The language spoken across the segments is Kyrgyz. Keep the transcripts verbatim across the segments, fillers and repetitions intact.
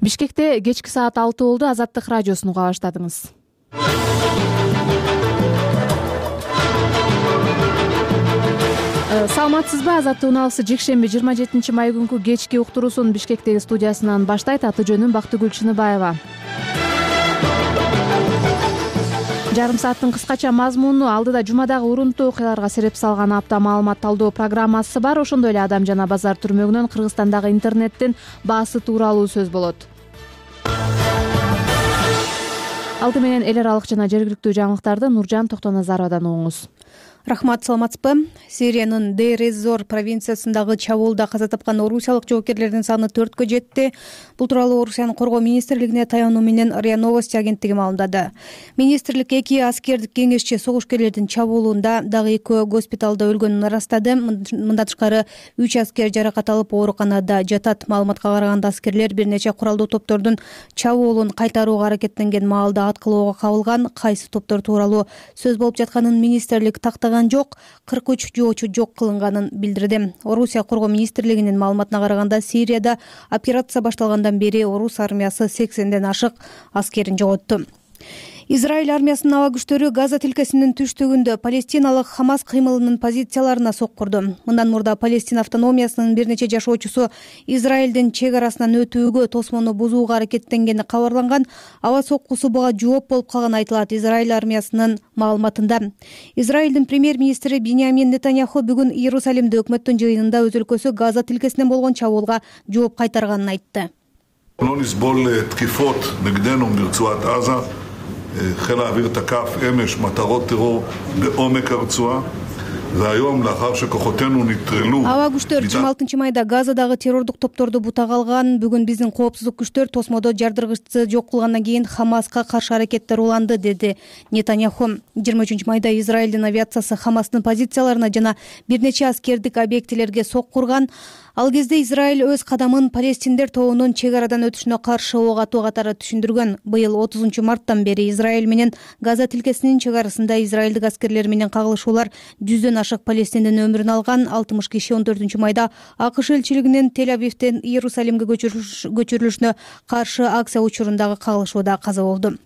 Бишкекте кечки саат алты болду. Азаттык радиосун уга баштадыңыз. Саламатсызбы? Азаттык уналысы жекшемби жыйырма жетинчи май күнкү кечки уктуруусун Бишкектеги студиясынан баштайт. Аты жөнүм Бактыгүл Чыныбаева. Жарым сааттын кыскача мазмуну алдыда жумадагы урунттуу окуяларга сереп салган апта маалымат талдоо программасы бар. Ошондой эле Адам жана базар түрмөгүнөн Кыргызстандагы интернеттин баасы тууралуу сөз болот. Алды менен эл аралык жана жергиликтүү жаңылыктарды Нуржан Токтоназаровадан угуңуз. Рахмат, саламатсызбы? Сириянын Дейр-эз-Зор провинциясындагы чабуулда каза тапкан орусиялык жоокерлердин саны төрткө жетти. Бул тууралуу Орусиянын коргоо министрлигине таянуу менен РИА Новости агенттиги маалымдады. Министрлик эки аскердик кеңешчи согушкерлердин чабуулунда дагы экөө госпиталда өлгөнүн ырастады. Мындан тышкары үч аскер жаракат алып ооруканада жатат. Маалыматка караганда аскерлер бир нече куралдуу топтордун чабуулун кайтарууга аракеттенген маалда аткылоого кабылган. Кайсы топтор тууралуу сөз болуп жатканын министрлик тактаган жок, кырк үч жоочу жок кылынганын билдирди. Орусия коргоо министрлигинин маалыматына караганда Сирияда операция башталгандан бери орус армиясы сексенден ашык аскерин жоготту. Израиль армиясынын аба күчтөрү Газа тилкесинин түштүгүндө палестиналык Хамас кыймылынын позицияларына соккурду. Мындан мурда Палестина автономиясынын бир нече жашоочусу Израилдин чек арасынан өтүүгө тосмону бузууга аракеттенгени кабарланган. Аба соккусу буга жооп болуп калганы айтылат Израиль армиясынын маалыматында. Израилдин премьер-министри Биньямин Нетаньяху бүгүн Иерусалимде өкмөттүн жыйынында өз өлкөсү Газа тилкесинен болгон чабуулга жооп кайтарганын айтты. חיל האוויר תקף אמש מטרות טרור בעומק הרצועה והיום לאחר שכוחותינו נטרלו Аба күчтөр жыйырма алтынчы майда Газадагы террордук топторду бутак алган. Бүгүн биздин коопсуздук күчтөр тосмодо жардыргычты жок кылгандан кийин Хамаска каршы аракеттер уланды, деди Нетаньяху. жыйырма үчүнчү майда Израилдин авиациясы Хамастын позицияларына жана бир нече аскердик объектилерге соккурган. Ал кезде Израиль өз кадамын палестиндер тобунун чек арадан өтүшүнө каршы ок атуу катары түшүндүргөн. Быйыл отузунчу марттан бери Израиль менен Газа тилкесинин чек арасында израилдик аскерлер менен кагылышуулар жүздөн ашык палестиндин өмүрүн алган. алтымыш киши он төртүнчү майда АКШ элчилигинин Тель-Авивден Иерусалимге көчүрүлүшүнө каршы акция учурундагы кагылышууда каза болду.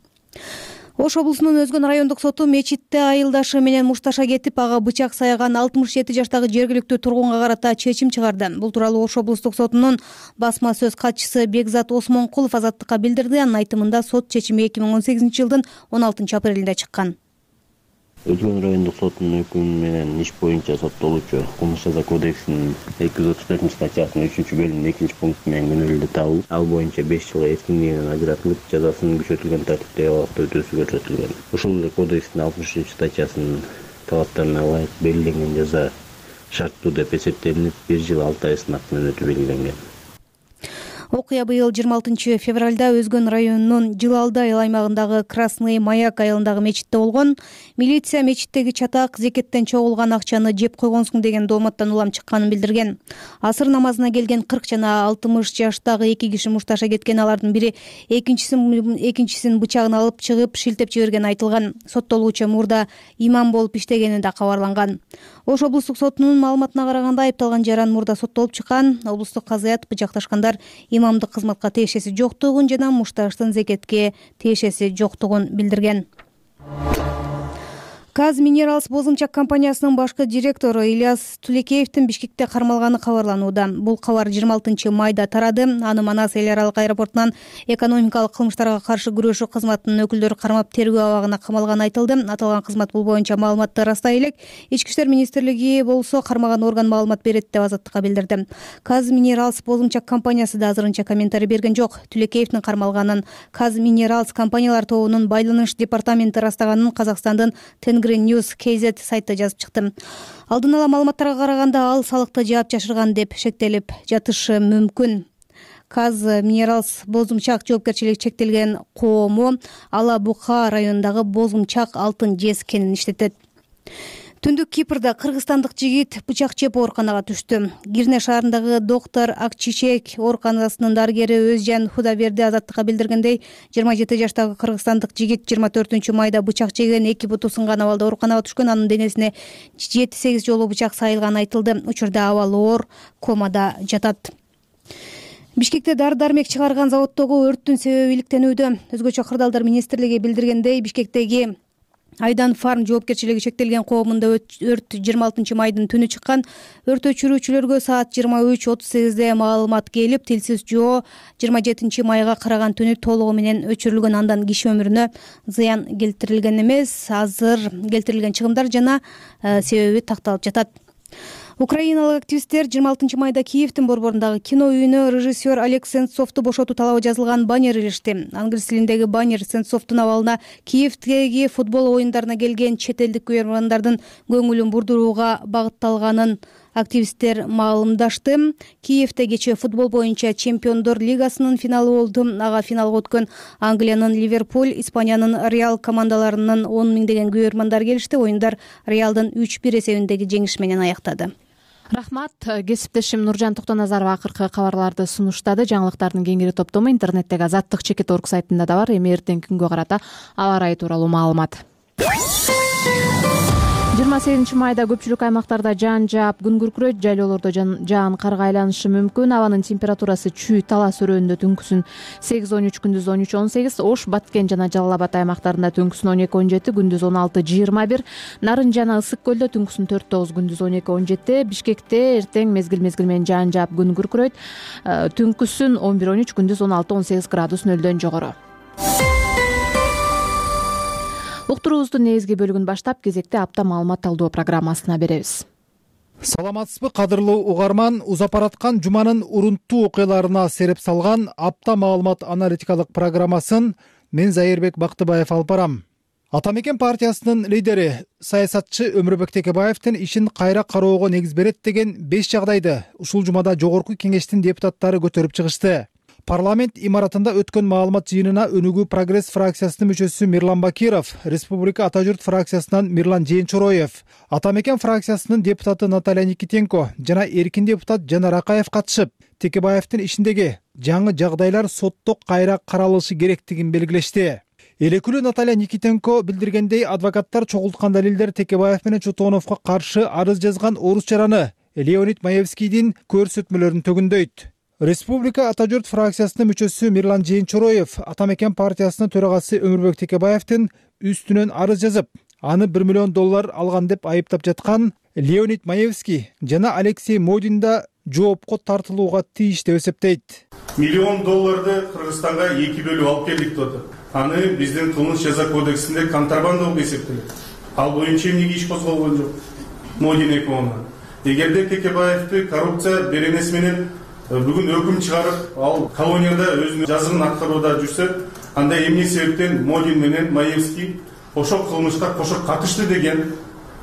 Ош облусунун Өзгөн райондук соту мечитте айылдашы менен мушташа кетип, ага бычак саяган алтымыш жети жаштагы жергиликтүү тургунга карата чечим чыгарды. Бул тууралуу Ош облустук сотунун басма сөз катчысы Бекзат Осмонкулов Азаттыкка билдирди. Анын айтымында сот чечими эки миң он сегизинчи жылдын он алтынчы апрелинде чыккан. Өзгөн райондук сотунун өкүмү менен иш боюнча соттолуучу Кылмыш жаза кодексинин эки жүз отуз төртүнчү статьясынын үчүнчү бөлүмүнүн экинчи пункту менен күнөөлүү табылып, ал боюнча беш жылга эркиндигинен ажыратылып, жазасын күчөтүлгөн тартипте абакта өтөөсү көрсөтүлгөн. Ошол эле кодекстин алтымыш үчүнчү статьясынын талаптарына ылайык белгиленген жаза шарттуу деп эсептелинип, бир жыл алты ай сынак менен өтүү белгиленген. Окуя быйыл жыйырма алтынчы февралда Өзгөн районунун Жылалды айыл аймагындагы Красный Маяк айылындагы мечитте болгон. Милиция мечиттеги чатак зекеттен чогулган акчаны жеп койгонсуң деген дооматтан улам чыкканын билдирген. Асыр намазына келген кырк жана алтымыш жаштагы эки киши мушташа кеткен. Алардын бири экинчисин экинчисин бычагын алып чыгып шилтеп жибергени айтылган. Соттолуучу мурда имам болуп иштегени да кабарланган. Ош облустук сотунун маалыматына караганда айыпталган жаран мурда соттолуп чыккан. Облустук казыят бычакташкандар имамдык кызматка тиешеси жоктугун жана мушташтын зекетке тиешеси жоктугун билдирген. Казминералс бозумчак компаниясынын башкы директору Ильяс Тулекеевдин Бишкекте кармалганы кабарланууда. Бул кабар жыйырма алтынчы майда тарады. Аны Манас эл аралык аэропортунан экономикалык кылмыштарга каршы күрөшүү кызматынын өкүлдөрү кармап тергөө абагына камалганы айтылды. Аталган кызмат бул боюнча маалыматты ырастай элек. Ички иштер министрлиги болсо кармаган орган маалымат берет деп Азаттыкка билдирди. Казминералс бозумчак компаниясы да азырынча комментарий берген жок. Тулекеевдин кармалганын Казминералс компаниялар тобунун байланыш департаменти ырастаганын Казакстандын Тенгри News кей зет сайты жазып чыкты. Алдын ала маалыматтарга караганда ал салыкты жаап жашырган деп шектелип жатышы мүмкүн. Казминералс бозумчак жоопкерчилиги чектелген коому Ала Бука районундагы бозумчак алтын жез кенин иштетет. Түндүк Кипрда кыргызстандык жигит бычак жеп ооруканага түштү. Кирне шаарындагы доктор Акчичек ооруканасынын дарыгери Өзжан Худаберди Азаттыкка билдиргендей, жыйырма жети жаштагы кыргызстандык жигит жыйырма төртүнчү майда бычак жеген, эки буту сынган абалда ооруканага түшкөн. Анын денесине жети сегиз жолу бычак сайылганы айтылды. Учурда абалы оор, комада жатат. Бишкекте дары дармек чыгарган заводдогу өрттүн себеби иликтенүүдө. Өзгөчө кырдаалдар министрлиги билдиргендей, Бишкектеги Айдан фарм жоопкерчилиги чектелген коомунда өрт жыйырма алтынчы майдын түнү чыккан. Өрт өчүрүүчүлөргө саат жыйырма үч отуз сегизде маалымат келип, тилсиз жоо жыйырма жетинчи майга караган түнү толугу менен өчүрүлгөн. Андан киши өмүрүнө зыян келтирилген эмес. Азыр келтирилген чыгымдар жана себеби такталып жатат. Украиналык активисттер жыйырма алтынчы майда Киевдин борборундагы кино үйүнө режиссер Олег Сенцовду бошотуу талабы жазылган баннер илишти. Англис тилиндеги баннер Сенцовдун абалына Киевдеги футбол оюндарына келген чет элдик көрөрмандардын көңүлүн бурдурууга багытталганын активисттер маалымдашты. Киевде кечээ футбол боюнча Чемпиондор лигасынын финалы болду. Ага финалга өткөн Англиянын Ливерпуль, Испаниянын Реал командаларынын он миңдеген көрөрмандар келишти. Оюндар Реалдын үч бир эсебиндеги жеңиш менен аяктады. Рахмат. Кесиптешим Нуржан Токтоназарова акыркы кабарларды сунуштады. Жаңылыктардын кеңири топтому интернеттеги азаттык чекит точка орг сайтында да бар. Эми эртеңки күнгө карата аба ырайы тууралуу маалымат. жыйырма сегизинчи майда көпчүлүк аймактарда жаан жаап, күн күркүрөйт, жайлоолордо жаан карга айланышы мүмкүн. Абанын температурасы чүй, Талас өрөөнүндө түнкүсүн сегиз он үч, күндүз он үч он сегиз, Ош, Баткен жана Жалал Абад аймактарында түнкүсүн он эки он жети, күндүз он алты жыйырма бир, Нарын жана Ысык көлдө түнкүсүн төрт тогуз, күндүз он эки он жети, Бишкекте эртең мезгил мезгил менен жаан жаап, күн күркүрөйт, түнкүсүн он бир он үч, күндүз он алты он сегиз градус нөлдөн жогору. Уктуруубуздун негизги бөлүгүн баштап, кезекте апта маалымат талдоо программасына беребиз. Саламатсызбы, кадырлуу угарман? Узапараткан жуманын урунттуу окуяларына сереп салган апта маалымат аналитикалык программасын мен Зайырбек Бактыбаев алып барам. Ата мекен партиясынын лидери саясатчы Өмүрбек Текебаевдин ишин кайра кароого негиз берет деген беш жагдайды ушул жумада жогорку кеңештин депутаттары көтөрүп чыгышты. Парламент имаратында өткөн маалымат жыйынына Өнүгүү Прогресс фракциясынын мүчөсү Мирлан Бакиров, Республика Ата журт фракциясынан Мирлан Жээнчороев, Ата мекен фракциясынын депутаты Наталья Никитенко жана эркин депутат Жанар Акаев катышып, Текебаевдин ишиндеги жаңы жагдайлар сотто кайра каралышы керектигин белгилешти. Элекүлүү Наталья Никитенко билдиргендей, адвокаттар чогулткан далилдер Текебаев менен Чотоновго каршы арыз жазган орус жараны Леонид Маевскийдин көрсөтмөлөрүн төгүндөйт. Республика Ата журт фракциясынын мүчөсү Мирлан Жээнчороев Ата мекен партиясынын төрагасы Өмүрбек Текебаевдин үстүнөн арыз жазып, аны бир миллион доллар алган деп айыптап жаткан Леонид Маевский жана Алексей Модин да жоопко тартылууга тийиштүү деп эсептейт. Миллион долларды Кыргызстанга эки бөлүп алып келдик деп. Аны биздин кылмыш жаза кодексинде контрабанда болуп эсептелет. Ал боюнча эмнеге иш козголгон жок? Модин экөөндө. Эгерде Текебаевди коррупция беренеси менен бүгүн өкүм чыгарып, ал колонияда өзүнүн жазымын аткарууда жүрсө, анда эмне себептен Модин менен Маевский ошол кылмышка кошо катышты деген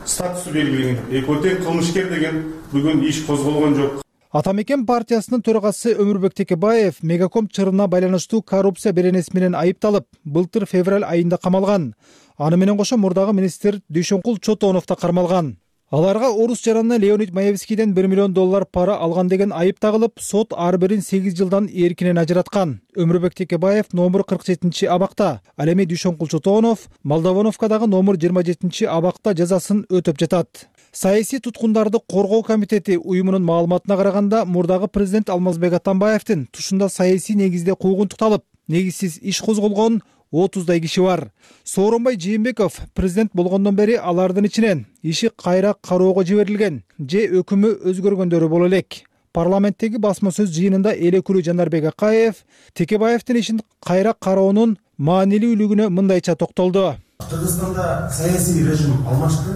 статусу белгиленген. Экөө тең кылмышкер деген бүгүн иш козголгон жок. Ата мекен партиясынын төрагасы Өмүрбек Текебаев Мегаком чырына байланыштуу коррупция беренеси менен айыпталып, былтыр февраль айында камалган. Аны менен кошо мурдагы министр Дүйшөнкул Чотонов да кармалган. Аларга орус жараны Леонид Маевскийден бир миллион доллар пара алган деген айып тагылып, сот ар бирин сегиз жылдан эркинен ажыраткан. Өмүрбек Текебаев номер кырк жетинчи абакта, ал эми Дүйшөнкул Чотонов Молдовоновкадагы номер жыйырма жетинчи абакта жазасын өтөп жатат. Саясий туткундарды коргоо комитети уюмунун маалыматына караганда, мурдагы президент Алмазбек Атамбаевдин тушунда саясий негизде куугунтукталып, негизсиз иш козголгон отуздай киши бар. Сооронбай Жээнбеков президент болгондон бери алардын ичинен иши кайра кароого жиберилген же өкүмү өзгөргөндөрү боло элек. Парламенттеги басма сөз жыйынында элекүлүү Жанарбек Акаев Текебаевдин ишин кайра кароонун маанилүүлүгүнө мындайча токтолду. Кыргызстанда саясий режим алмашты.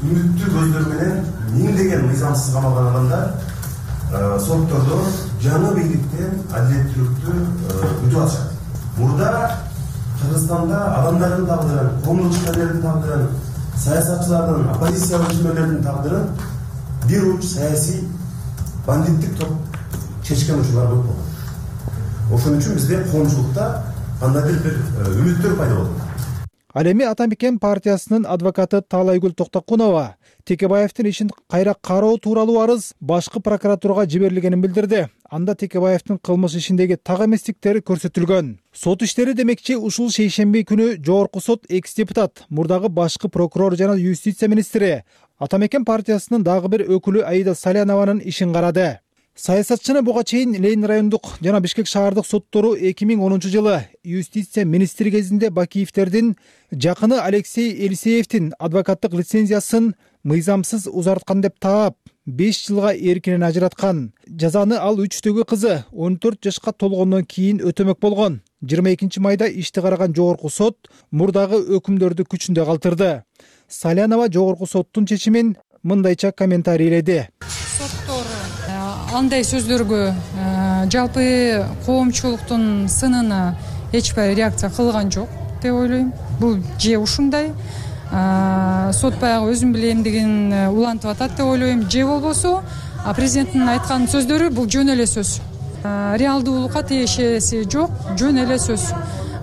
Үмүттүү көздөр менен миңдеген мыйзамсыз камалган адамдар соттордо жаңы бийликтен адилеттүүлүктү күтүп атышат. Мурда Кыргызстанда адамдардын тагдырын, коомдук ишмерлердин тагдырын, саясатчылардын, оппозициялык ишмерлердин тагдырын бир уч саясий бандиттик топ чечкен учурлар көп болгон. Ошон үчүн бизде коомчулукта кандайдыр бир үмүттөр пайда болду. Ал эми Ата мекен партиясынын адвокаты Таалайгүл Токтокунова Текебаевдин ишин кайра кароо тууралуу арыз башкы прокуратурага жиберилгенин билдирди. Анда Текебаевдин кылмыш ишиндеги так эместиктери көрсөтүлгөн. Сот иштери демекчи ушул шейшемби күнү жогорку сот экс-депутат, мурдагы башкы прокурор жана юстиция министри, Ата мекен партиясынын дагы бир өкүлү Аида Салянованын ишин карады. саясатчыны буга чейин Ленин райондук жана Бишкек шаардык соттору эки миң онунчу жылы юстиция министри кезинде Бакиевдердин жакыны Алексей Елисеевдин адвокаттык лицензиясын мыйзамсыз узарткан деп таап, беш жылга эркинен ажыраткан. Жазаны ал үчтөгү кызы он төрт жашка толгондон кийин өтөмөк болгон. жыйырма экинчи майда ишти караган жогорку сот мурдагы өкүмдөрдү күчүндө калтырды. Салянова жогорку соттун чечимин мындайча комментарийледи. Соттор андай сөздөргө, жалпы коомчулуктун сынына эч бир реакция кылган жок деп ойлойм. Бул же ушундай сот баягы өзүм билем деген улантып атат деп ойлойм, же болбосо президенттин айткан сөздөрү бул жөн эле сөз. Реалдуулукка тиешеси жок, жөн эле сөз.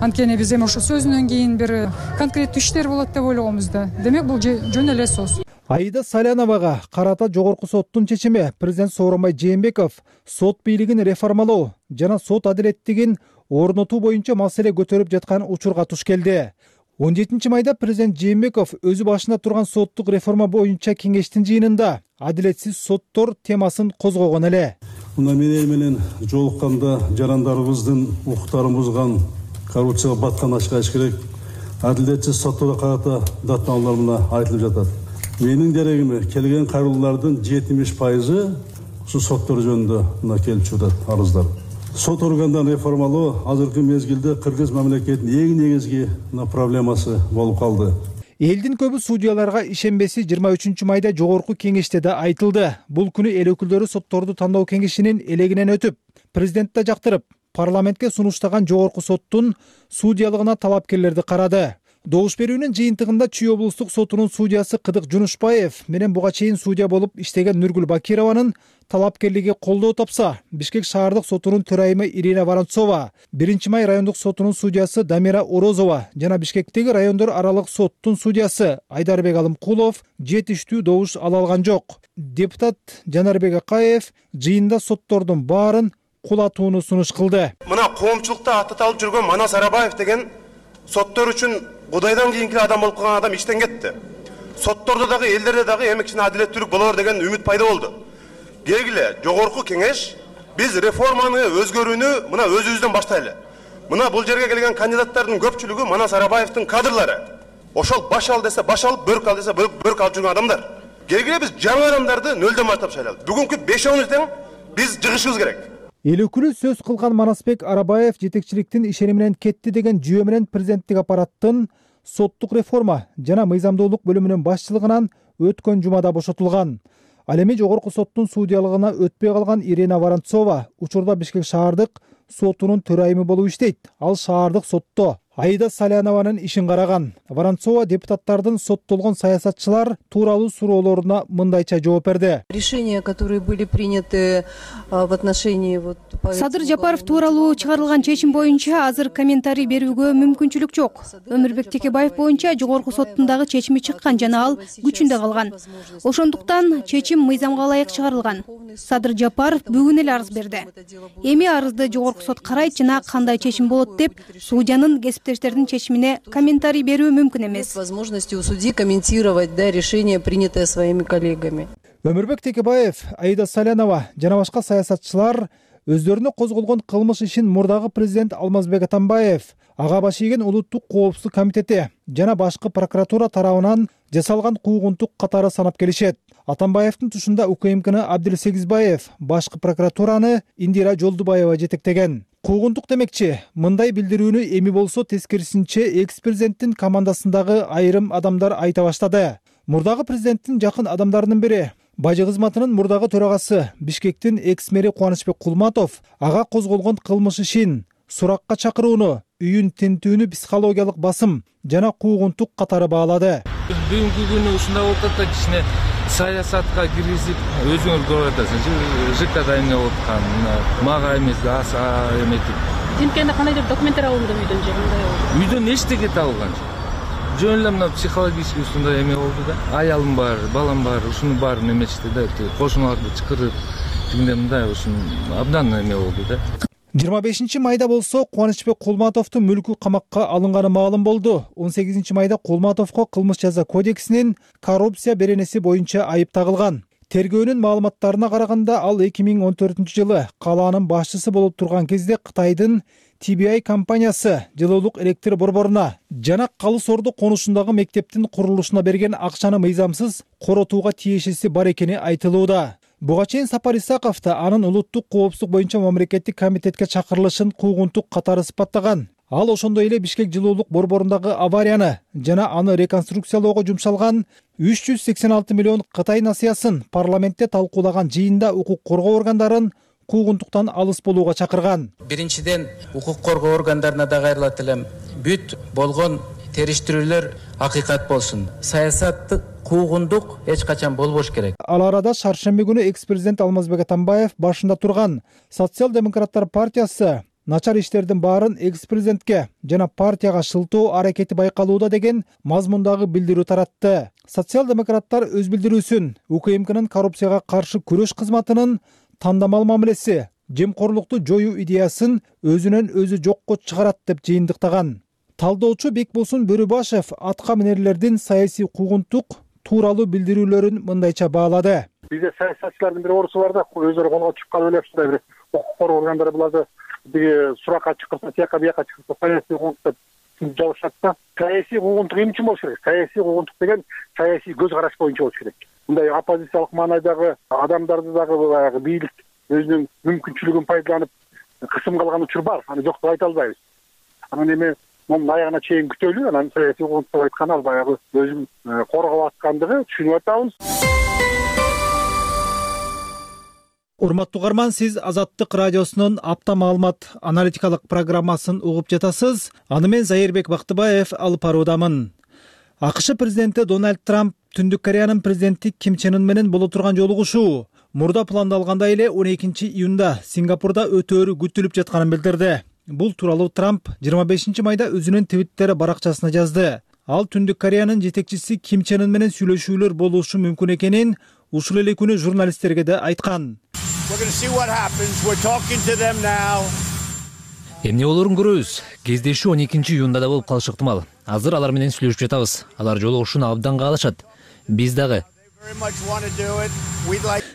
Анткени биз эми ошо сөзүнөн кийин бир конкреттүү иштер болот деп ойлогонбуз да. Демек бул жөн эле сөз. Аида Саляновага карата жогорку соттун чечими президент Сооронбай Жээнбеков сот бийлигин реформалоо жана сот адилеттигин орнотуу боюнча маселе көтөрүп жаткан учурга туш келди. он жетинчи майда президент Жээнбеков өзү башында турган соттук реформа боюнча кеңештин жыйынында адилетсиз соттор темасын козгогон эле. Мына менен менен жолукканда жарандарыбыздын укуктарын бузган, коррупцияга баткан ачык керек. Адилетсиз сотторго карата даттаналар мына айтылып жатат. Менин дерегиме келген кайрылуулардын жетимиш пайызы ушу соттор жөнүндө мына келип жатат арыздар. Сот органдарын реформалоо азыркы мезгилде Кыргыз мамлекетинин эң негизги проблемасы болуп калды. Элдин көбү судьяларга ишенбеси жыйырма үчүнчү майда жогорку кеңеште да айтылды. Бул күнү эл өкүлдөрү сотторду тандоо кеңешинин элегинен өтүп, президент да жактырып, парламентке сунуштаган жогорку соттун судьялыгына талапкерлерди карады. Добуш берүүнүн жыйынтыгында Чүй облустук сотунун судьясы Кыдык Жунушбаев менен буга чейин судья болуп иштеген Нургүл Бакированын талапкерлиги колдоо тапса, Бишкек шаардык сотунун төрайымы Ирина Воронцова, биринчи май райондук сотунун судьясы Дамира Орозова жана Бишкектеги райондор аралык соттун судьясы Айдарбек Алымкулов жетиштүү добуш ала алган жок. Депутат Жанарбек Акаев жыйында соттордун баарын кулатууну сунуш кылды. Мына коомчулукта аты талып жүргөн Манас Арабаев деген соттор үчүн Кудайдан кийинки адам болуп калган адам иштен кетти. Соттордо дагы элдерде дагы эмекчине адилеттүүлүк болор деген үмүт пайда болду. Келгиле, жогорку кеңеш биз реформаны өзгөрүүнү мына өзүбүздөн баштайлы. Мына бул жерге келген кандидаттардын көпчүлүгү Манас Арабаевдин кадрлары. Ошол баш ал десе баш алып, бөрк ал десе бөрк алып жүргөн адамдар. Келгиле биз жаңы адамдарды нөлдөн баштап шайлайлы. Бүгүнкү бешөөбүз тең биз жыгышыбыз керек. Эл өкүлү сөз кылган Манасбек Арабаев жетекчиликтин ишени менен кетти деген жүйө менен президенттик аппараттын соттук реформа жана мыйзамдуулук бөлүмүнүн башчылыгынан өткөн жумада бошотулган. Ал эми жогорку соттун судьялыгына өтпөй калган Ирина Воронцова учурда Бишкек шаардык сотунун төрайымы болуп иштейт. Ал шаардык сотто Аида Салянованын ишин караган. Воронцова депутаттардын соттолгон саясатчылар тууралуу суроолоруна мындайча жооп берди. Решения, которые были приняты в отношении вот Садыр Жапаров тууралуу чыгарылган чечим боюнча азыр комментарий берүүгө мүмкүнчүлүк жок. Өмүрбек Текебаев боюнча жогорку соттундагы чечими чыккан жана ал күчүндө калган. Ошондуктан чечим мыйзамга ылайык чыгарылган. Садыр Жапаров бүгүн эле арыз берди. Эми арызды жогорку сот карайт жана кандай чечим болот деп судьянын кесиптештердин чечимине комментарий берүү мүмкүн эмес. Возможности у судьи комментировать да решение, принятое своими коллегами. Өмүрбек Текебаев, Аида Салянова жана башка саясатчылар өздөрүнө козголгон кылмыш ишин мурдагы президент Алмазбек Атамбаев, ага баш ийген улуттук коопсуздук комитети жана башкы прокуратура тарабынан жасалган куугунтук катары санап келишет. Атамбаевдин тушунда УКМКны Абдилсегизбаев, башкы прокуратураны Индира Жолдубаева жетектеген. Куугунтук демекчи, мындай билдирүүнү эми болсо тескерисинче экс-президенттин командасындагы айрым адамдар айта баштады. Мурдагы президенттин жакын адамдарынын бири Бажы кызматынын мурдагы төрагасы Бишкектин экс-мэри Кубанычбек Кулматов ага козголгон кылмыш ишин суракка чакырууну, үйүн тинтүүнү психологиялык басым жана куугунтук катары баалады. Бүгүнкү күнү ушундай болуп атат да, кичине саясатка киргизип өзүңөр көрүп атасыз. ЖКда эмне болуп аткан, мага эмес, аса эметип. Тинткенде кандайдыр документтер алынды үйдөн же кандай болду? Үйдөн эчтеке табылган жок. Жөн эле мына психологический ушундай эме болду да. Аялым бар, балам бар, ушунун баарын эметишти да, кошуналарды чакырып, тигиндей мындай ушун абдан эме болду да. жыйырма бешинчи майда болсо Кубанычбек Кулматовдун мүлкү камакка алынганы маалым болду. он сегизинчи майда Кулматовго кылмыш жаза кодексинин коррупция беренеси боюнча айып тагылган. Тергөөнүн маалыматтарына караганда ал эки миң он төртүнчү жылы калаанын башчысы болуп турган кезде Кытайдын Ти Би Ай компаниясы жылуулук электр борборуна жана Калыс Орду конушундагы мектептин курулушуна берген акчаны мыйзамсыз коротууга тиешеси бар экени айтылууда. Буга чейин Сапар Исаков да анын улуттук коопсуздук боюнча мамлекеттик комитетке чакырылышын куугунтук катары сыпаттаган. Ал ошондой эле Бишкек жылуулук борборундагы аварияны жана аны реконструкциялоого жумшалган үч жүз сексен алты миллион Кытай насыясын парламентте талкуулаган жыйында укук коргоо органдарын куугунтуктан алыс болууга чакырган. Биринчиден, укук коргоо органдарына да кайрылат элем. Бүт болгон териштирүүлөр акыйкат болсун. Саясаттык куугундук эч качан болбош керек. Ал арада шаршемби күнү экс-президент Алмазбек Атамбаев башында турган Социал-демократтар партиясы начар иштердин баарын экс-президентке жана партияга шылтоо аракети байкалууда деген мазмундагы билдирүү таратты. Социал-демократтар өз билдирүүсүн УКМКнын коррупцияга каршы күрөш кызматынын тандамал мамилеси, жемкорлукту жоюу идеясын өзүнөн өзү жокко чыгарат деп жыйынтыктаган. Талдоочу Бекболсун Бөрүбашев атка минерлердин саясий куугунтук тууралуу билдирүүлөрүн мындайча баалады. Бизде саясатчылардын бир орусу бар да, өздөрү колго чыгып калып эле ушундай бир укук коргоо органдары буларды биги суракка чакырса, тияка бияка чакырса саясий куугунтук деп жабышат да. Саясий куугунтук эмне үчүн болуш керек? Саясий куугунтук деген саясий көз караш боюнча болуш керек. Мындай оппозициялык маанайдагы адамдарды дагы баягы бийлик өзүнүн мүмкүнчүлүгүн пайдаланып кысым кылган учур бар. Аны жок деп айта албайбыз. Анан эми мунун аягына чейин күтөлү, анан саясий куугунтук деп айткан ал баягы өзүн коргоп аткандыгы түшүнүп атабыз. Урматтуу угарман, сиз Азаттык радиосунун апта маалымат аналитикалык программасын угуп жатасыз. Аны мен Зайырбек Бактыбаев алып баруудамын. АКШ президенти Дональд Трамп Түндүк Кореянын президенти Ким Чен Ын менен боло турган жолугушуу мурда пландалгандай эле он экинчи июнда Сингапурда өтөөрү күтүлүп жатканын билдирди. Бул тууралуу Трамп жыйырма бешинчи майда өзүнүн Твиттер баракчасына жазды. Ал Түндүк Кореянын жетекчиси Ким Чен Ын менен сүйлөшүүлөр болушу мүмкүн экенин ушул эле күнү журналисттерге да айткан. Эмне болорун көрөбүз. Кездешүү он экинчи июнда да болуп калышы ыктымал. Азыр алар менен сүйлөшүп жатабыз. Алар жолугушууну абдан каалашат. Биз дагы.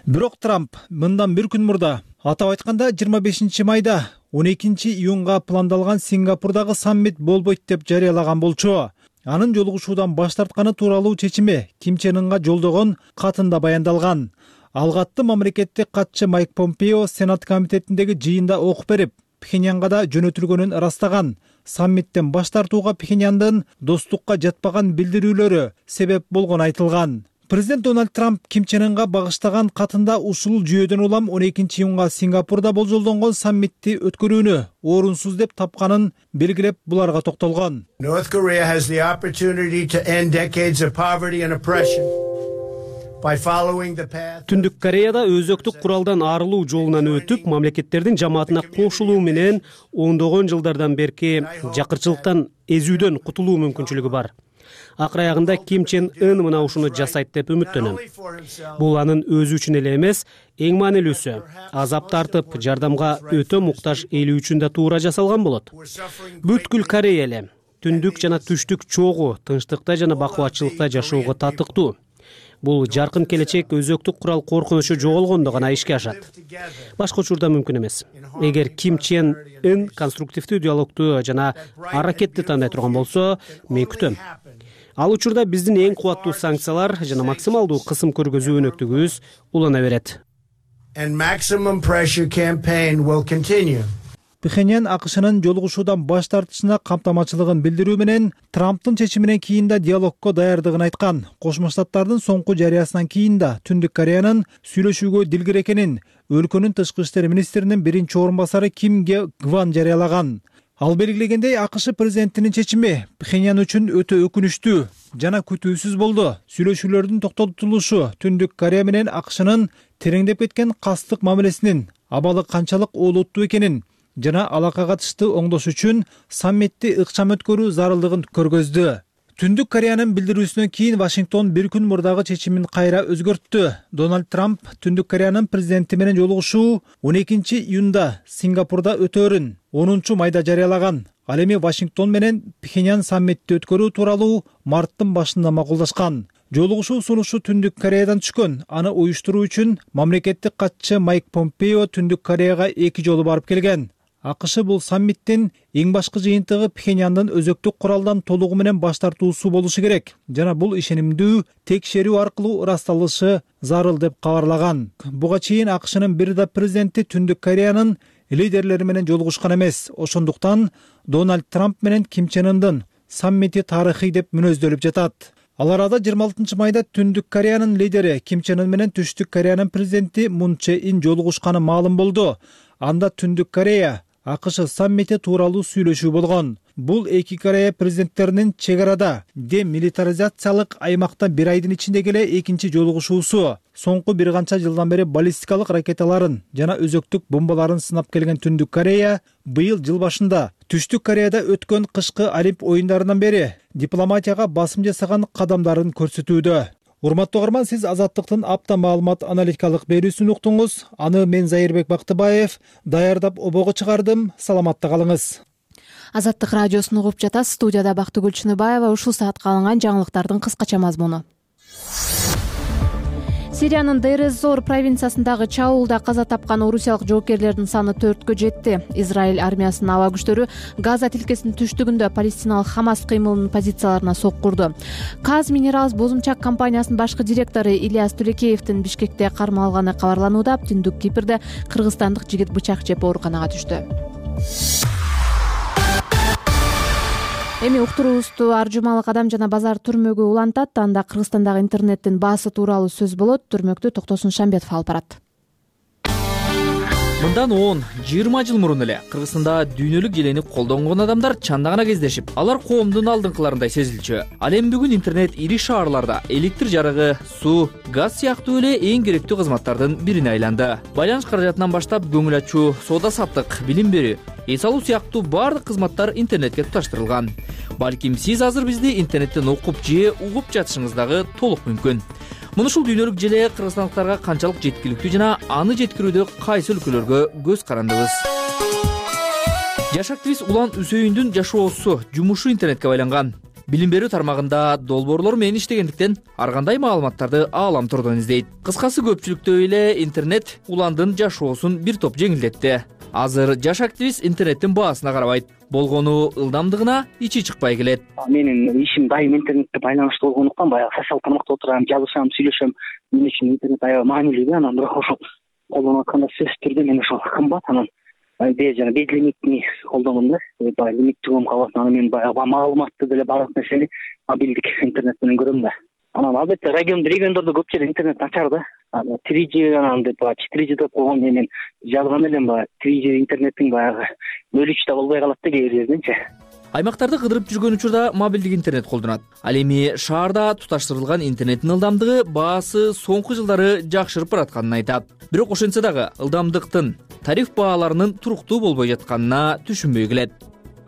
Бирок Трамп мындан бир күн мурда, атап айтканда жыйырма бешинчи майда он экинчи июнга пландалган Сингапурдагы саммит болбойт деп жарыялаган болчу. Анын жолугушуудан баш тартканы тууралуу чечими Ким Чен Ынга жолдогон катында баяндалган. Ал катты мамлекеттик катчы Майк Помпео Сенат комитетиндеги жыйында окуп берип, Пхеньянга да жөнөтүлгөнүн ырастаган. Саммиттен баш тартууга Пхеньяндын достукка жатпаган билдирүүлөрү себеп болгону айтылган. Президент Дональд Трамп Ким Чен Ынга багыштаган катында ушул жүйөдөн улам он экинчи июнга Сингапурда болжолдонгон саммитти өткөрүүнү орунсуз деп тапканын белгилеп буларга токтолгон. North Korea has the opportunity to end decades of poverty and oppression. Түндүк Кореяда өзөктүк куралдан арылуу жолунан өтүп, мамлекеттердин жамаатына кошулуу менен ондогон жылдардан берки жакырчылыктан, эзүүдөн кутулуу мүмкүнчүлүгү бар. Акыр аягында Ким Чен Ын мына ушуну жасайт деп үмүттөнөм. Бул анын өзү үчүн эле эмес, эң маанилүүсү, азап тартып, жардамга өтө муктаж эли үчүн да туура жасалган болот. Бүткүл Корея эле түндүк жана түштүк чогуу, тынчтыкта жана бакубатчылыкта жашоого татыктуу. Бул жаркын келечек өзөктүк курал коркунучу жоголгондо гана ишке ашат. Башка учурда мүмкүн эмес. Эгер Ким Чен Ын конструктивдүү диалогду жана аракетти тандай турган болсо, мен күтөм. Ал учурда биздин эң кубаттуу санкциялар жана максималдуу кысым көргөзүү өнөктүгүбүз улана берет. And maximum pressure campaign will continue. Пхеньян АКШнын жолугушуудан баш тартышына камтамачылыгын билдирүү менен Трамптын чечиминен кийин да диалогко даярдыгын айткан. Кошмо Штаттардын соңку жарыясынан кийин да Түндүк Кореянын сүйлөшүүгө дилгир экенин өлкөнүн тышкы иштер министринин биринчи орун басары Ким Ге Гван жарыялаган. Ал белгилегендей, АКШ президентинин чечими Пхеньян үчүн өтө өкүнүчтүү жана күтүүсүз болду. Сүйлөшүүлөрдүн токтотулушу Түндүк Корея менен АКШнын тереңдеп кеткен кастык мамилесинин абалы канчалык олуттуу экенин жана алакка катыштуу оңдош үчүн саммитти ыкчам өткөрүү зарылдыгын көргөздү. Түндүк Кореянын билдирүүсүнөн кийин Вашингтон бир күн мурдагы чечимин кайра өзгөрттү. Дональд Трамп Түндүк Кореянын президенти менен жолугушуу он экинчи июнда Сингапурда өтөөрүн онунчу майда жарыялаган. Ал эми Вашингтон менен Пхеньян саммитти өткөрүү тууралуу марттын башында макулдашкан. Жолугушуу сунушу Түндүк Кореядан түшкөн. Аны уюштуруу үчүн мамлекеттик катчы Майк Помпео Түндүк Кореяга эки жолу барып келген. АКШ бул саммиттин эң башкы жыйынтыгы Пхеньяндын өзөктүк куралдан толугу менен баш тартуусу болушу керек жана бул ишенимдүү текшерүү аркылуу ырасталышы зарыл деп кабарлаган. Буга чейин АКШнын бир да президенти Түндүк Кореянын лидерлери менен жолугушкан эмес. Ошондуктан Дональд Трамп менен Ким Чен Ындын саммити тарыхый деп мүнөздөлүп жатат. Ал арада жыйырма алтынчы майда Түндүк Кореянын лидери Ким Чен Ын менен Түштүк Кореянын президенти Мун Чже Ин жолугушканы маалым болду. Анда Түндүк Корея АКШ саммити тууралуу сүйлөшүү болгон. Бул эки Корея президенттеринин чек арада демилитаризациялык аймакта бир айдын ичинде эле экинчи жолугушуусу. Соңку бир канча жылдан бери баллистикалык ракеталарын жана өзөктүк бомбаларын сынап келген Түндүк Корея быйыл жыл башында Түштүк Кореяда өткөн кышкы Олимп оюндарынан бери дипломатияга басым жасаган кадамдарын көрсөтүүдө. Урматтуу угарман, сиз Азаттыктын апта маалымат аналитикалык берүүсүн уктуңуз. Аны мен Зайырбек Бактыбаев даярдап обого чыгардым. Саламатта калыңыз. Азаттык радиосун угуп жатасыз. Студияда Бактыгүл Чыныбаева. Ушул саатка алынган жаңылыктардын кыскача мазмуну. Сириянын Дейр-эз-Зор провинциясындагы чабуулда каза тапкан орусиялык жоокерлердин саны төрткө жетти. Израиль армиясынын аба күчтөрү Газа тилкесинин түштүгүндө палестиналык Хамас кыймылынын позицияларына соккурду. Каз Минералс бозумчак компаниясынын башкы директору Ильяс Тулекеевдин Бишкекте кармалганы кабарланууда. Түндүк Кипрде кыргызстандык жигит бычак жеп ооруканага түштү. Эми уктуруубузду Ар жумалык Адам жана базар түрмөгү улантат. Анда Кыргызстандагы интернеттин баасы тууралуу сөз болот. Түрмөктү Токтосун Шамбетов алып барат. Мындан он жыйырма жыл мурун эле Кыргызстанда дүйнөлүк желени колдонгон адамдар чанда гана кездешип, алар коомдун алдыңкыларындай сезилчү. Ал эми бүгүн интернет ири шаарларда электр жарыгы, суу, газ сыяктуу эле эң керектүү кызматтардын бирине айланды. Байланыш каражатынан баштап көңүл ачуу, соода саттык, билим берүү, эс алуу сыяктуу баардык кызматтар интернетке туташтырылган. Балким сиз азыр бизди интернеттен окуп же угуп жатышыңыз дагы толук мүмкүн. Муну ушул дүйнөлүк желе кыргызстандыктарга канчалык жеткиликтүү жана аны жеткирүүдө кайсы өлкөлөргө көз карандыбыз. Жаш активист Улан Үсөйүндүн жашоосу, жумушу интернетке байланган. Билим берүү тармагында долбоорлор менен иштегендиктен ар кандай маалыматтарды аалам турдон издейт. Кыскасы көпчүлүктөй эле интернет Уландын жашоосун бир топ жеңилдетти. Азыр жаш активист интернеттин баасына карабайт. Болгону ылдамдыгына ичи чыкпай келет. Менин ишим дайым интернетке байланыштуу болгондуктан баягы социалдык тармакта отурам, жазышам, сүйлөшөм. Мен үчүн интернет аябай маанилүү да, анан бирок ошол колдонуп атканда сөзсүз түрдө мен ошол кымбат, анан бе жана безлимитни колдонгом да. Баягы лимиттүү калат, анан мен баягы маалыматты деле баардык нерсени мобилдик интернет менен көрөм да. Анан албетте регион региондордо көп жерде интернет начар да. три джи анан деп четыре джи деп койгон мен жазган элем баягы три джи интернеттин баягы өлүчү да болбой калат да кээ бир жерденчи. Аймактарды кыдырып жүргөн учурда мобилдик интернет колдонот. Ал эми шаарда туташтырылган интернеттин ылдамдыгы баасы соңку жылдары жакшырып баратканын айтат. Бирок ошентсе дагы ылдамдыктын тариф бааларынын туруктуу болбой жатканына түшүнбөй келет.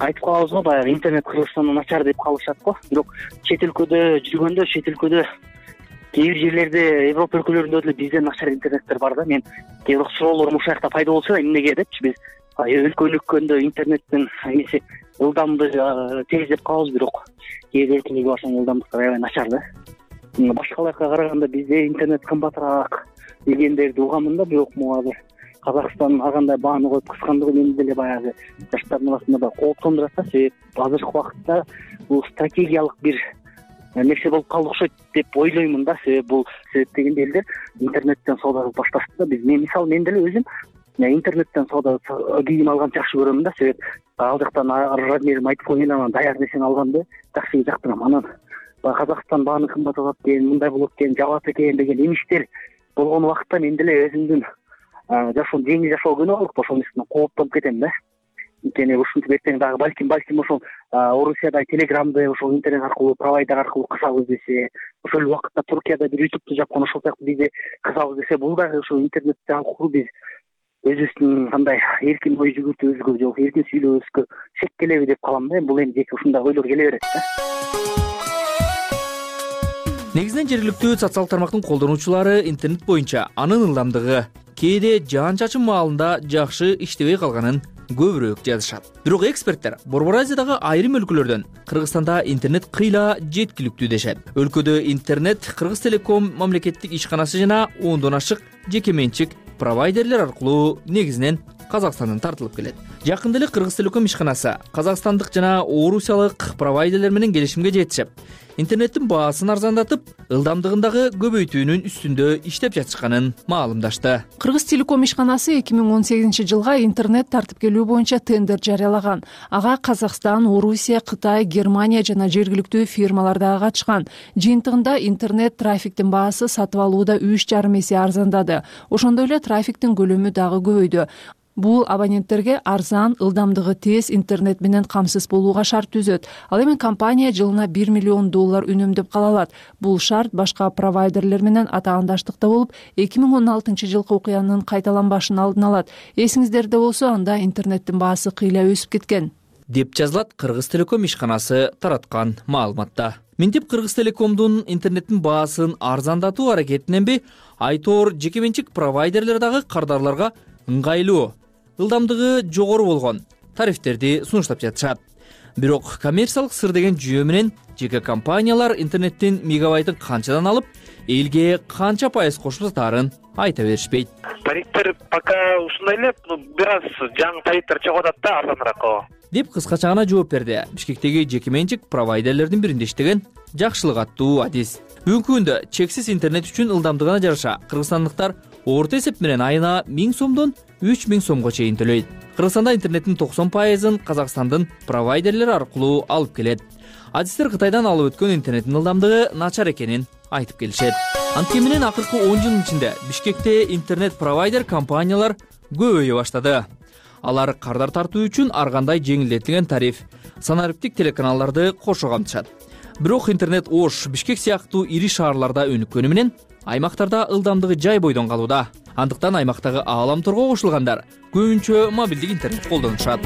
Айтып калабыз го, баягы интернет Кыргызстанда начар деп калышат го. Бирок чет өлкөдө жүргөндө, чет өлкөдө кээ бир жерлерде, Европа өлкөлөрүндө деле бизден начар интернеттер бар да. Мен кээ бир суроолорум ушул жакта пайда болсо да, эмнеге депчи, биз өлкөлүккөндө интернеттин эмеси ылдамдыгы тез деп калабыз, бирок кээ бир өлкөлөргө барсаң ылдамдыктар аябай начар да. Башкаларга караганда бизде интернет кымбатыраак дегендерди угамын да, бирок могу азыр Казакстан ар кандай бааны коюп кыскандыгы мени деле баягы жаштардын арасында да кооптондурат да. Себеп азыркы убакытта бул стратегиялык бир нерсе болуп калды окшойт деп ойлоймун да. Себеп бул себеп дегенде элдер интернеттен соода кылып башташты да. Биз мен мисалы мен деле өзүм интернеттен соода кийим алганды жакшы көрөм да. Себеп ал жактан размерим айтып коеюн, анан даяр нерсени алганды жакшы жактырам. Анан Казакстан бааны кымбаталат экен, мындай болот экен, жабат экен деген эмиштер болгон убакытта мен деле өзүмдүн жашоом жеңил жашоо күнөө болуп ошол нерседен кооптонуп кетем да. Анткени ушинтип эртең дагы балким балким ошол Орусияда телеграмды ошол интернет аркылуу провайдер аркылуу кысабыз десе, ошол убакытта Туркияда бир ютубту жапкан, ошол сыяктуу бизде кысабыз десе, бул дагы ошол интернет аркылуу биз өзүбүздүн кандай эркин ой жүгүртүүбүзгө же эркин сүйлөбүзгө шек келеби деп калам да. Бул эми жеке ушундай ойлор келе берет да. Негизинен жергиликтүү социалдык тармактын колдонуучулары интернет боюнча анын ылдамдыгы кээде жаан чачын маалында жакшы иштебей калганын көбүрөөк жазышат. Бирок эксперттер Борбор Азиядагы айрым өлкөлөрдөн Кыргызстанда интернет кыйла жеткиликтүү дешет. Өлкөдө интернет Кыргыз Телеком мамлекеттик ишканасы жана ондон ашык жеке менчик провайдерлер аркылуу негизинен Казакстандан тартылып келет. Жакында эле Кыргыз Телеком ишканасы казакстандык жана орусиялык провайдерлер менен келишимге жетишип, интернеттин баасын арзандатып, ылдамдыгындагы көбөйтүүнүн үстүндө иштеп жатышканын маалымдашты. Кыргыз Телеком ишканасы эки миң он сегизинчи жылга интернет тартипкелүү боюнча тендер жарыялаган. Ага Казакстан, Орусия, Кытай, Германия жана жергиликтүү фирмалар дагы катышкан. Жыйынтыгында интернет трафиктин баасы сатып алууда үч жарым эсе арзандады. Ошондой эле трафиктин көлөмү дагы көбөйдү. Бул абоненттерге арзан, ылдамдыгы тез интернет менен камсыз болууга шарт түзөт. Ал эми компания жылына бир миллион доллар үнөмдөп кала алат. Бул шарт башка провайдерлер менен атаандаштыкта болуп, эки миң он алтынчы жылкы окуянын кайталанбашын алдын алат. Эсиңиздерде болсо, анда интернеттин баасы кыйла өсүп кеткен, деп жазылат Кыргыз Телеком ишканасы тараткан маалыматта. Минтип Кыргыз Телекомдун интернеттин баасын арзандатуу аракетиненби, айтор жеке менчик провайдерлер дагы кардарларга ыңгайлуу, ылдамдыгы жогору болгон тарифтерди сунуштап жатышат. Бирок коммерциялык сыр деген жүйө менен жеке компаниялар интернеттин мегабайтын канчадан алып, элге канча пайыз кошуп сатаарын айта беришпейт. Тарифтер пока ушундай эле, бир аз жаңы тарифтер чыгып атат да, арзаныраак деп кыскача гана жооп берди Бишкектеги жеке менчик провайдерлердин биринде иштеген Жакшылык аттуу Адис. Бүгүнкү күндө чексиз интернет үчүн ылдамдыгына жараша кыргызстандыктар орто эсеп менен айына миң сомдон үч миң сомго чейин төлөйт. Кыргызстанда интернеттин токсон пайызын Казакстандын провайдерлери аркылуу алып келет. Адистер Кытайдан алып өткөн интернеттин ылдамдыгы начар экенин айтып келишет. Анткени менен акыркы он жылдын ичинде Бишкекте интернет провайдер компаниялар көбөйө баштады. Алар кардар тартуу үчүн ар кандай жеңилдетилген тариф, санариптик телеканалдарды кошо камтышат. Бирок интернет Ош, Бишкек сыяктуу ири шаарларда өнүккөнү менен аймактарда ылдамдыгы жай бойдон калууда. Андыктан аймактагы ааламторго кошулгандар көбүнчө мобилдик интернет колдонушат.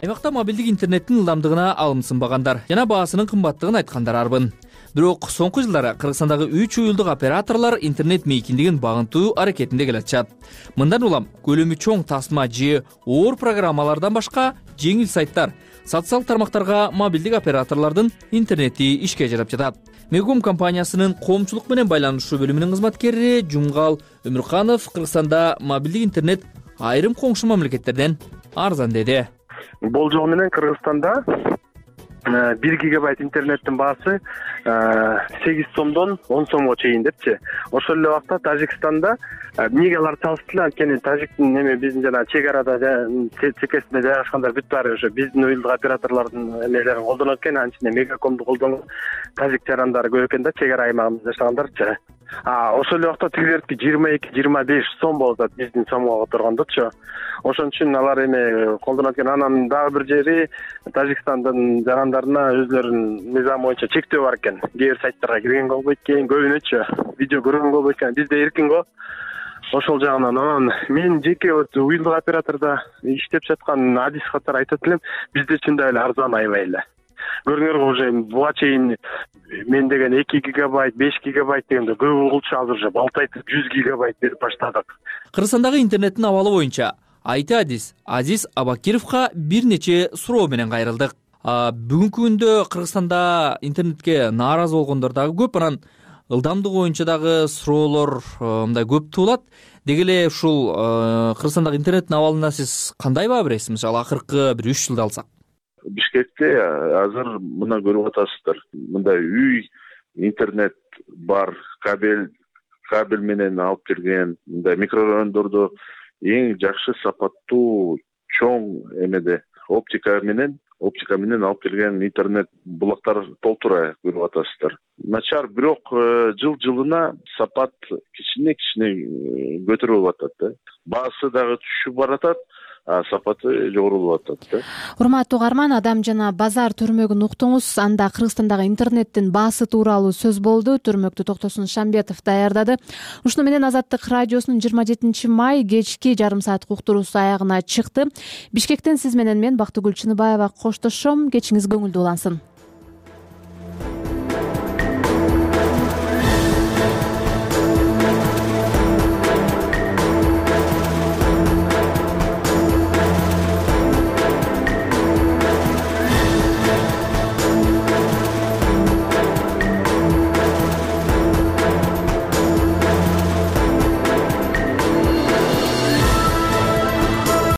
Аймакта мобилдик интернеттин ылдамдыгына алым сынбагандар жана баасынын кымбаттыгын айткандар арбын. Бирок соңку жылдары Кыргызстандагы үч уюлдук операторлор интернет мейкиндигин багынтуу аракетинде келатышат. Мындан улам көлөмү чоң тасма же оор программалардан башка жеңил сайттар, социалдык тармактарга мобилдик операторлордун интернети ишке жарап жатат. Мегум компаниясынын коомчулук менен байланышуу бөлүмүнүн кызматкери Жумгал Өмүрканов Кыргызстанда мобилдик интернет айрым коңшу мамлекеттерден арзан деди. Болжол менен Кыргызстанда бир гигабайт интернеттин баасы сегиз сомдон он сомго чейин депчи. Ошол эле убакта Тажикстанда эмнеге алар салыштылар, анткени Тажиктин эме биздин жана чек арада чекесинде жайгашкандар бүт баары ошо биздин уюлдук операторлордун эмелерин колдонот экен, анын ичинде Мегакомду колдонгон Тажик жарандары көп экен да, чек ара аймагыбызда жашагандарчы. А ошол эле убакта тигилердики жыйырма эки жыйырма беш сом болуп атат биздин сомго которгондочу. Ошон үчүн алар эме колдонот экен. Анан дагы бир жери Тажикстандын жарандарына өзлөрүнүн мыйзамы боюнча чектөө бар экен. Кээ бир сайттарга киргенге болбойт экен, көбүнөчү видео көргөнгө болбойт экен. Бизде эркин го. Ошол жагынан анан мен жеке уюлдук оператордо иштеп жаткан Адис катары айтат элем, бизде чындап эле арзан аябай эле. Көрүңөр, уже буга чейин мен деген эки гигабайт, беш гигабайт дегенде көп угулчу, азыр уже балтайтып жүз гигабайт берип баштадык. Кыргызстандагы интернеттин абалы боюнча Айти Адис Азиз Абакировго бир нече суроо менен кайрылдык. Бүгүнкү күндө Кыргызстанда интернетке нааразы болгондор дагы көп, анан ылдамдыгы боюнча дагы суроолор мындай көп туулат. Деги эле ушул Кыргызстандагы интернеттин абалына сиз кандай баа бересиз? Мисалы акыркы бир үч жылды алсак. Бишкекте азыр мына көрүп атасыздар. Мындай үй интернет бар, кабель кабель менен алып келген, мындай микрорайондордо эң жакшы сапаттуу чоң эмеде оптика менен оптика менен алып келген интернет булактар толтура көрүп атасыздар. Начар, бирок жыл жылына сапат кичине кичине көтөрүлүп атат да. Баасы дагы түшүп баратат, сапаты жогору болуп атат да. Урматтуу угарман, Адам жана базар түрмөгүн уктуңуз. Анда Кыргызстандагы интернеттин баасы тууралуу сөз болду. Түрмөктү Токтосун Шамбетов даярдады. Ушуну менен Азаттык радиосунун жыйырма жетинчи май кечки жарым сааттык уктуруусу аягына чыкты. Бишкектен сиз менен мен Бактыгүл Чыныбаева коштошом. Кечиңиз көңүлдүү улансын.